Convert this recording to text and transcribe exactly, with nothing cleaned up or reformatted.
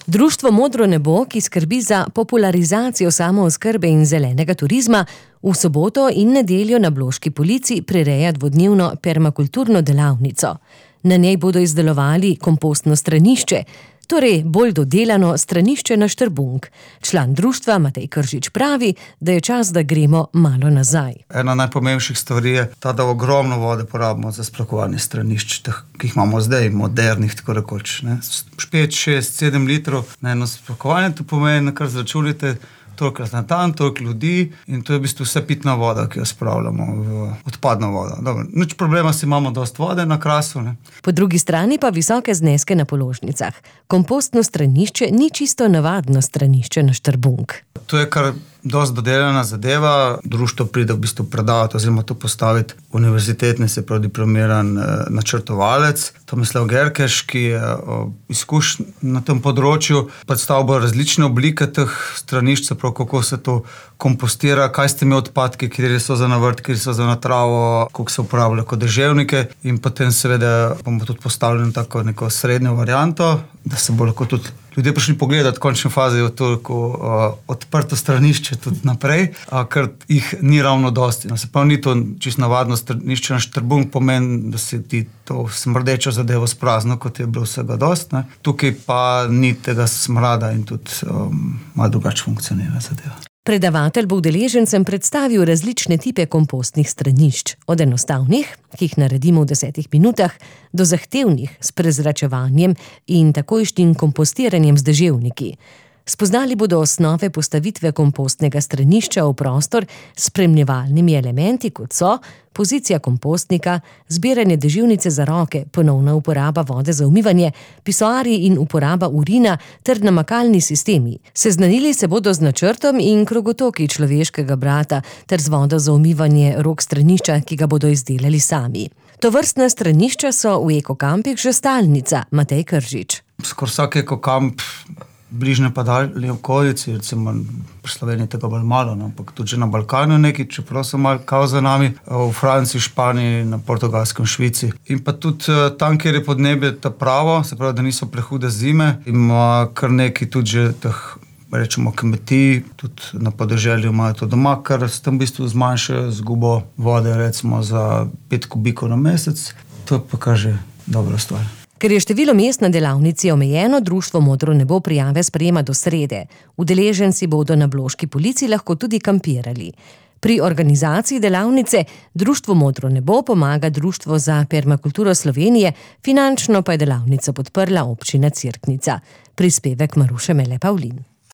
Društvo Modro nebo, ki skrbi za popularizacijo samooskrbe in zelenega turizma, v soboto in nedeljo na Bloški Polici prireja dvodnevno permakulturno delavnico. Na njej bodo izdelovali kompostno stranišče, torej bolj dodelano stranišče na Štrbunk. Član društva Matej Kržič pravi, da je čas, da gremo malo nazaj. Ena najpomembnejših stvari je ta, da ogromno vode porabimo za splakovanje stranišč, ki jih imamo zdaj, modernih, tako rekoč. pet, šest, sedem litrov na eno splakovanje, to pomeni, kar zračunite, toliko na dan, toliko ljudi in to je v bistvu vse pitna voda, ki jo spravljamo v odpadno vodo. Dobro, nič problema, si imamo dosti vode na Krasu. Ne? Po drugi strani pa visoke zneske na položnicah. Kompostno stranišče ni čisto navadno stranišče na Štrbunk. To je kar dosti dodelana zadeva. Društvo pride v bistvu predavati oziroma to postaviti univerzitetni, se pravi diplomiran eh, načrtovalec, Tomislav Gerkeš, ki je eh, izkušen na tem področju, predstavil bo različne oblike teh stranišč, se pravi, kako se to kompostira, kaj s temi odpadki, kjer so za navrt, kjer so za natravo, kako se uporablja kot deževnike in potem seveda bomo tudi postavili tako neko srednjo varianto, da se bo lahko tudi ljudje prišli pogledati, v končni fazi je toliko uh, odprto stranišče tudi naprej, uh, ker jih ni ravno dosti. No, se pa ni to čisto navadno stranišče na Štrbunk, pomeni, da se ti to smrdečo zadevo sprazno, kot je bilo vsega dosti. Ne. Tukaj pa ni tega smrada in tudi um, malo drugače funkcionira zadeva. Predavatelj bo udeležencem predstavil različne tipe kompostnih stranišč, od enostavnih, ki jih naredimo v desetih minutah, do zahtevnih s prezračevanjem in takojšnjim kompostiranjem z deževniki. Spoznali bodo osnove postavitve kompostnega stranišča v prostor s spremljevalnimi elementi, kot so pozicija kompostnika, zbiranje deževnice za roke, ponovna uporaba vode za umivanje, pisoarji in uporaba urina ter namakalni sistemi. Seznanili se bodo z načrtom in krogotoki človeškega brata ter z vodo za umivanje rok stranišča, ki ga bodo izdelali sami. Tovrstna stranišča so v ekokampih že stalnica, Matej Kržič. Skoro vsak ekokamp bližnje pa daljne okolici, recimo pri Sloveniji tega bolj malo, no, ampak tudi že na Balkanu neki, čeprav so malo kao za nami, v Franciji, Španiji, na Portugalskem, Švici. In pa tudi tam, kjer je podnebje ta pravo, se pravi, da niso prehude zime, ima kar nekaj tudi že teh, rečemo, kmetij, tudi na podeželju imajo to doma, kar s tem v bistvu zmanjšajo izgubo vode, recimo za pet kubikov na mesec. To pa kaže dobra stvar. Ker je število mest na delavnici omejeno, društvo Modro nebo prijave sprejema do srede. Udeleženci bodo na Bloški Polici lahko tudi kampirali. Pri organizaciji delavnice društvo Modro nebo pomaga Društvo za permakulturo Slovenije, finančno pa je delavnico podprla občina Cerknica. Prispevek Maruše Mele Pavlin.